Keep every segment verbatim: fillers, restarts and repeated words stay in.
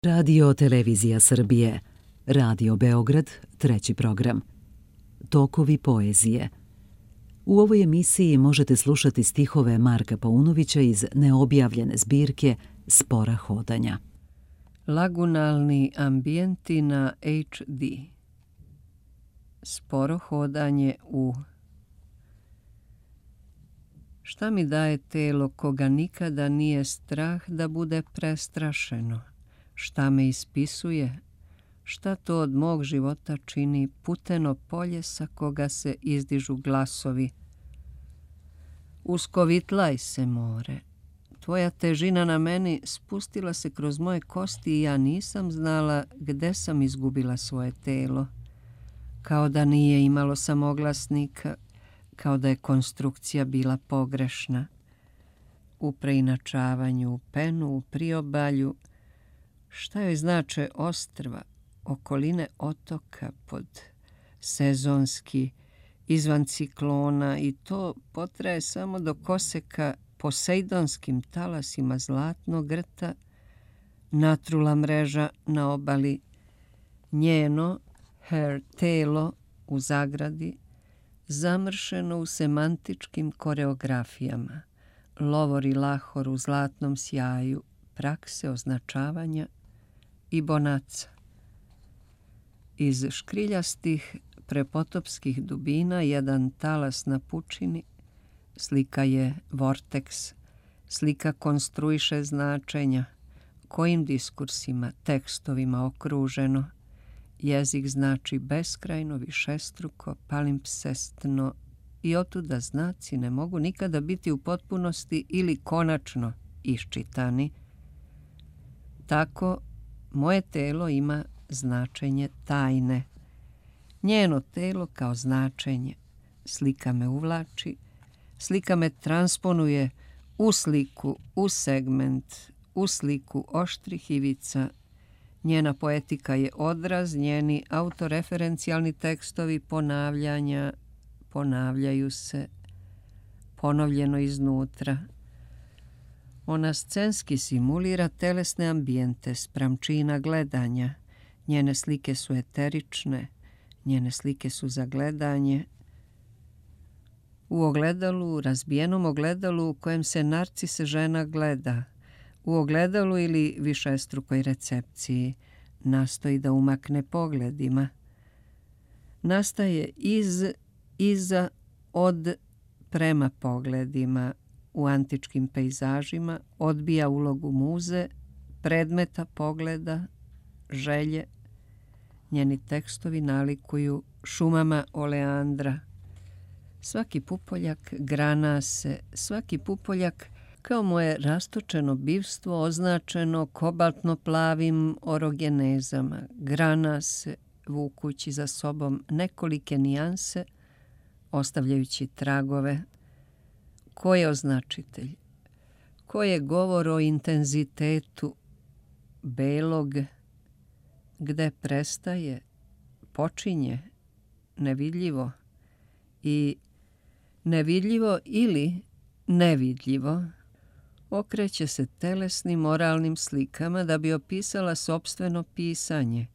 Radio Televizija Srbije, Radio Beograd, treći program. Tokovi poezije. U ovoj emisiji možete slušati stihove Marka Paunovića iz neobjavljene zbirke Spora hodanja. Lagunalni ambijenti na H D. Sporo hodanje u... Šta mi daje telo koga nikada nije strah da bude prestrašeno? Šta me ispisuje? Šta to od mog života čini puteno polje sa koga se izdižu glasovi? Uskovitlaj se, more. Tvoja težina na meni spustila se kroz moje kosti i ja nisam znala gde sam izgubila svoje telo. Kao da nije imalo samoglasnika, kao da je konstrukcija bila pogrešna. U preinačavanju, u penu, u priobalju, šta joj znače ostrva, okoline otoka pod sezonski, izvan ciklona i to potraje samo do koseka posejdonskim talasima zlatnog grta, natrula mreža na obali, njeno, her telo u zagradi, zamršeno u semantičkim koreografijama, lovor i lahor u zlatnom sjaju, prakse označavanja i bonaca. Iz škriljastih prepotopskih dubina jedan talas na pučini, slika je vorteks, slika konstruiše značenja, kojim diskursima, tekstovima okruženo. Jezik znači beskrajno, višestruko, palimpsestno i otuda znaci ne mogu nikada biti u potpunosti ili konačno iščitani. Tako, moje telo ima značenje tajne. Njeno telo kao značenje. Slika me uvlači, slika me transponuje u sliku, u segment, u sliku oštrih ivica. Njena poetika je odraz, njeni autoreferencijalni tekstovi ponavljanja ponavljaju se, ponovljeno iznutra. Ona scenski simulira telesne ambijente spram čina gledanja. Njene slike su eterične, njene slike su za gledanje. U ogledalu, razbijenom ogledalu u kojem se narcise žena gleda, u ogledalu ili višestrukoj recepciji, nastoji da umakne pogledima. Nastaje iz, iza, od, prema pogledima. U antičkim pejzažima odbija ulogu muze, predmeta pogleda, želje. Njeni tekstovi nalikuju šumama oleandra. Svaki pupoljak grana se, svaki pupoljak kao moje rastočeno bivstvo označeno kobaltno plavim orogenezama, grana se vukući za sobom nekolike nijanse, ostavljajući tragove. Ko je označitelj? Ko je govor o intenzitetu belog, gde prestaje, počinje, nevidljivo i nevidljivo ili nevidljivo okreće se telesnim moralnim slikama da bi opisala sopstveno pisanje,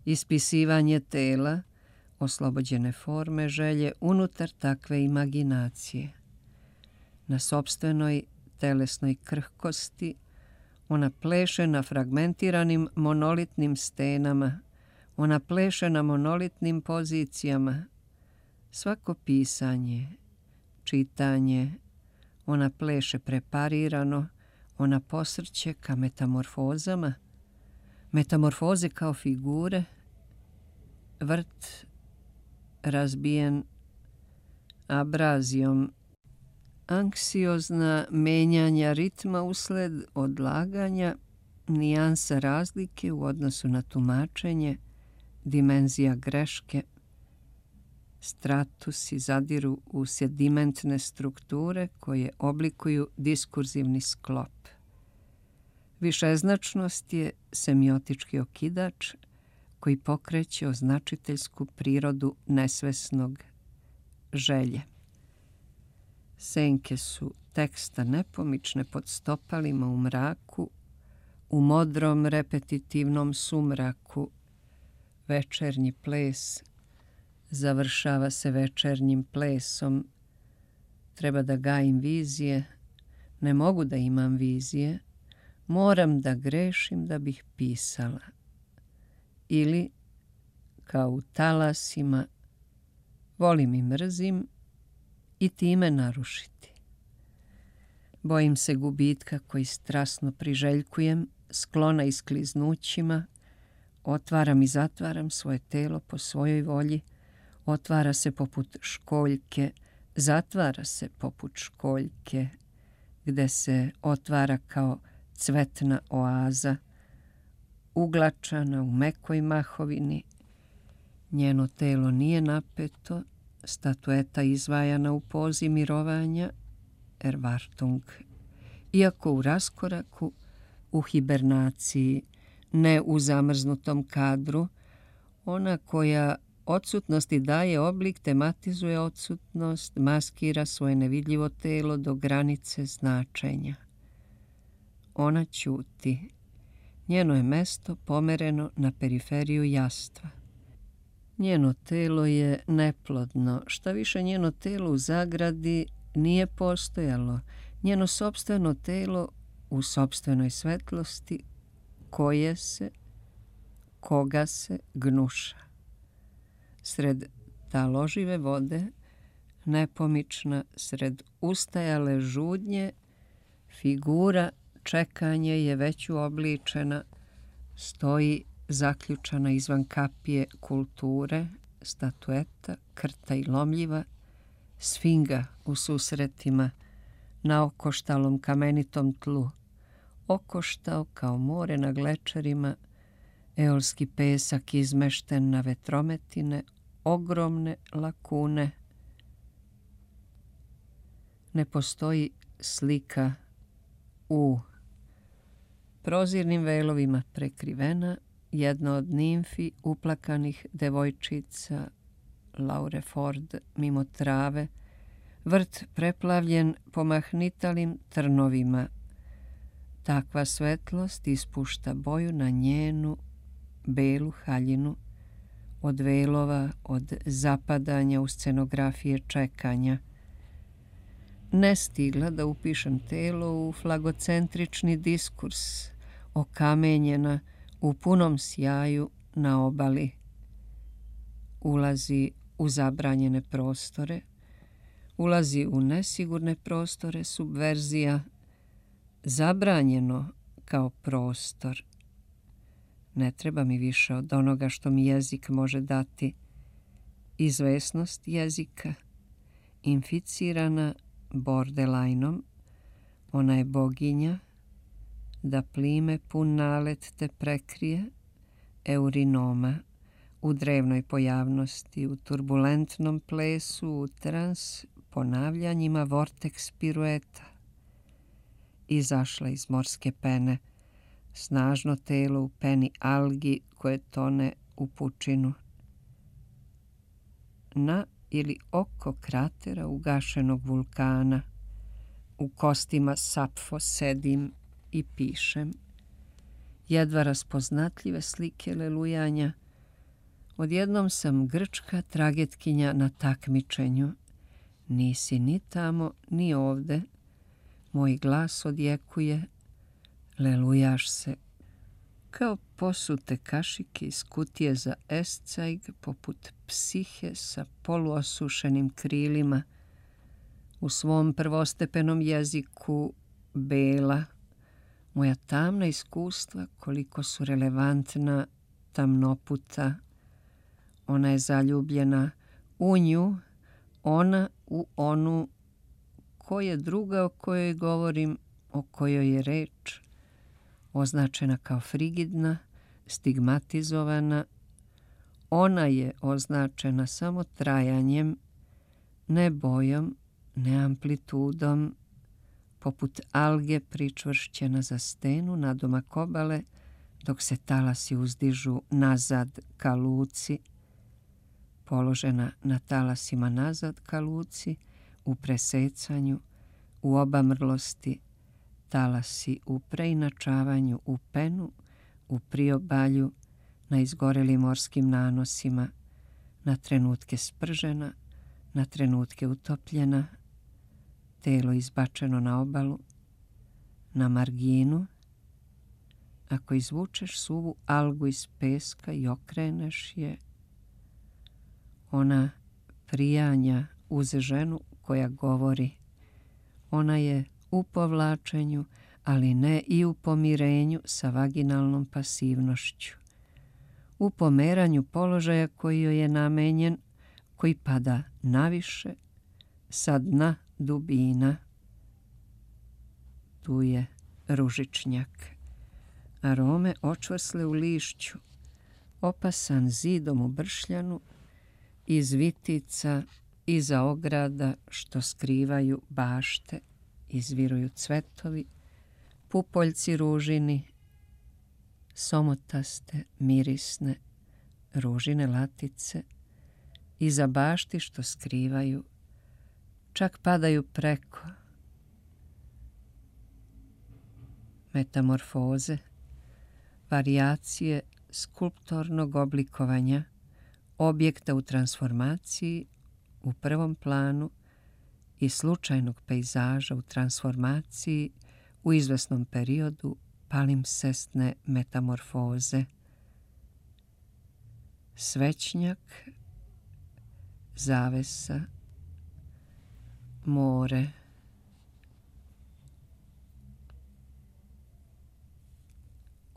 ispisivanje tela, oslobođene forme želje unutar takve imaginacije. Na sopstvenoj telesnoj krhkosti ona pleše na fragmentiranim monolitnim stenama, ona pleše na monolitnim pozicijama. Svako pisanje, čitanje, ona pleše preparirano, ona posrće ka metamorfozama, metamorfoze kao figure, vrt razbijen abrazijom, anksiozna menjanja ritma usled odlaganja, nijansa razlike u odnosu na tumačenje, dimenzija greške, stratusi zadiru u sedimentne strukture koje oblikuju diskurzivni sklop. Višeznačnost je semiotički okidač koji pokreće označiteljsku prirodu nesvesnog želje. Senke su teksta nepomične pod stopalima u mraku, U modrom repetitivnom sumraku večernji ples završava se večernjim plesom. Treba da gajim vizije, ne mogu da imam vizije, moram da grešim da bih pisala. Ili, kao u talasima, volim i mrzim i time narušiti. Bojim se gubitka koji strasno priželjkujem, sklona iskliznućima, otvaram i zatvaram svoje telo po svojoj volji, otvara se poput školjke, zatvara se poput školjke, gde se otvara kao cvetna oaza, uglačana u mekoj mahovini. Njeno telo nije napeto, statueta izvajana u pozi mirovanja, Erwartung, iako u raskoraku, u hibernaciji, ne u zamrznutom kadru, ona koja odsutnosti daje oblik, tematizuje odsutnost, maskira svoje nevidljivo telo do granice značenja. Ona ćuti. Njeno je mesto pomereno na periferiju jastva. Njeno telo je neplodno, šta više njeno telo u zagradi nije postojalo, njeno sopstveno telo u sopstvenoj svetlosti koje se, koga se gnuša. Sred taložive vode, nepomična, sred ustajale žudnje, figura čekanje je već uobličena, stoji zaključana izvan kapije kulture, statueta, krta i lomljiva, sfinga u susretima, na okoštalom kamenitom tlu, okoštao kao more na glečerima, eolski pesak izmešten na vetrometine, ogromne lakune. Ne postoji slika u prozirnim velovima prekrivena, jedna od nimfi uplakanih devojčica, Laure Ford mimo trave, vrt preplavljen pomahnitalim trnovima. Takva svetlost ispušta boju na njenu belu haljinu, od velova, od zapadanja u scenografije čekanja. Ne stigla da upišem telo u flagocentrični diskurs, okamenjena u punom sjaju na obali. Ulazi u zabranjene prostore, ulazi u nesigurne prostore, subverzija, zabranjeno kao prostor. Ne treba mi više od onoga što mi jezik može dati. Izvesnost jezika, inficirana borderlineom, ona je boginja, da plime pun nalet te prekrije, eurinoma, u drevnoj pojavnosti, u turbulentnom plesu, u trans ponavljanjima vorteks pirueta. Izašla iz morske pene, snažno telo u peni algi koje tone u pučinu. Na ili oko kratera ugašenog vulkana, u kostima Sapfo sedim i pišem. Jedva raspoznatljive slike lelujanja. Odjednom sam grčka tragetkinja na takmičenju. Nisi ni tamo, ni ovde. Moj glas odjekuje. Lelujaš se. Kao posute kašike iz kutije za escajg, poput psihe sa poluosušenim krilima. U svom prvostepenom jeziku bela. Moja tamna iskustva koliko su relevantna, tamnoputa. Ona je zaljubljena u nju, ona u onu. Ko je druga o kojoj govorim, o kojoj je reč? Označena kao frigidna, stigmatizovana. Ona je označena samo trajanjem, ne bojom, ne amplitudom, poput alge pričvršćena za stenu nadomak obale, dok se talasi uzdižu nazad ka luci, položena na talasima nazad ka luci, u presecanju, u obamrlosti, talasi u preinačavanju u penu, u priobalju, na izgorelim morskim nanosima, na trenutke spržena, na trenutke utopljena, telo izbačeno na obalu, na marginu. Ako izvučeš suvu algu iz peska i okreneš je, ona prijanja uz ženu koja govori. Ona je u povlačenju, ali ne i u pomirenju sa vaginalnom pasivnošću. U pomeranju položaja koji joj je namenjen, koji pada naviše, sa dna dubina. Tu je ružičnjak. Arome očvrsle u lišću, opasan zidom u bršljanu, iz vitica, iza ograda što skrivaju bašte, izviruju cvetovi, pupoljci ružini, somotaste, mirisne, ružine latice, iza bašti što skrivaju, čak padaju preko. Metamorfoze, varijacije skulptornog oblikovanja, objekta u transformaciji u prvom planu i slučajnog pejzaža u transformaciji u izvesnom periodu palimpsestne metamorfoze. Svećnjak, zavesa, more.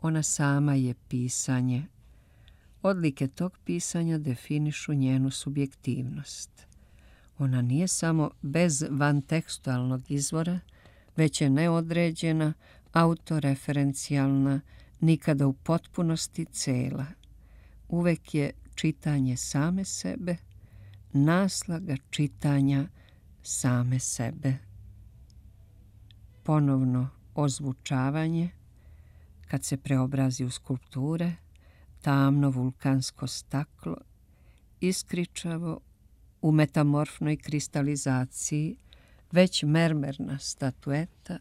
Ona sama je pisanje. Odlike tog pisanja definišu njenu subjektivnost. Ona nije samo bez vantekstualnog izvora, već je neodređena, autoreferencijalna, nikada u potpunosti cela. Uvek je čitanje same sebe, naslaga čitanja same sebe. Ponovno ozvučavanje, kad se preobrazi u skulpture, tamno vulkansko staklo, iskričavo u metamorfnoj kristalizaciji, već mermerna statueta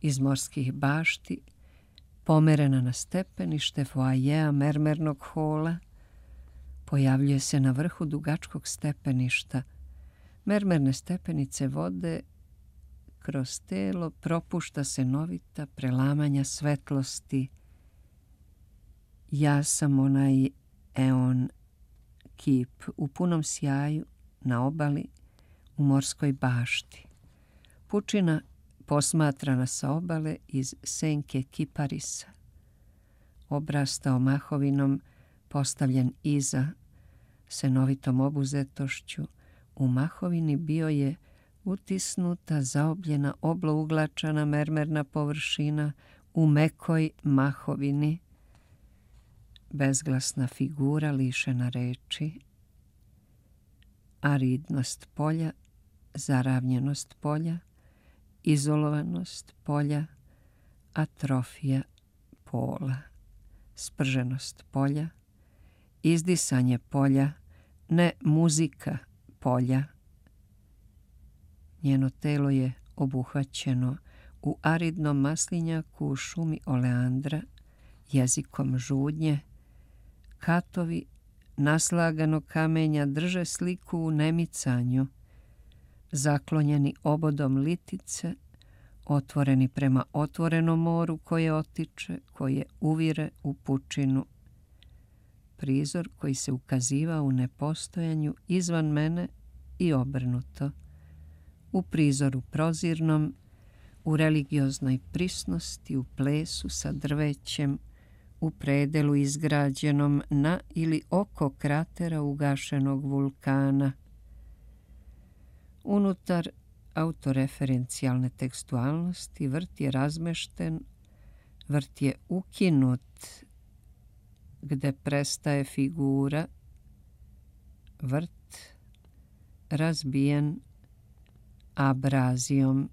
iz morskih bašti, pomerena na stepenište foajea mermernog hola, pojavljuje se na vrhu dugačkog stepeništa. Mermerne stepenice vode kroz telo, propušta se novita prelamanja svetlosti. Ja sam onaj eon kip u punom sjaju na obali u morskoj bašti. Pučina posmatrana sa obale iz senke kiparisa. Obrastao mahovinom, postavljen iza, senovitom obuzetošću, u mahovini bio je utisnuta, zaobljena, oblouglačana mermerna površina u mekoj mahovini, bezglasna figura lišena reči, aridnost polja, zaravnjenost polja, izolovanost polja, atrofija pola, sprženost polja, izdisanje polja, ne muzika polja. Njeno telo je obuhvaćeno u aridnom maslinjaku u šumi oleandra, jezikom žudnje. Katovi naslaganog kamenja drže sliku u nemicanju, zaklonjeni obodom litice, otvoreni prema otvorenom moru koje otiče, koje uvire u pučinu. Prizor koji se ukazivao u nepostojanju izvan mene i obrnuto. U prizoru prozirnom, u religioznoj prisnosti, u plesu sa drvećem, u predelu izgrađenom na ili oko kratera ugašenog vulkana. Unutar autoreferencijalne tekstualnosti vrt je razmešten, vrt je ukinut, gde prestaje figura, vrt razbijen abrazijom.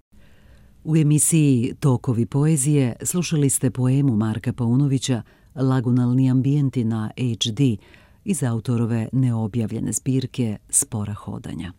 U emisiji Tokovi poezije slušali ste poemu Marka Paunovića Lagunalni ambijenti na H D iz autorove neobjavljene zbirke Spora hodanja.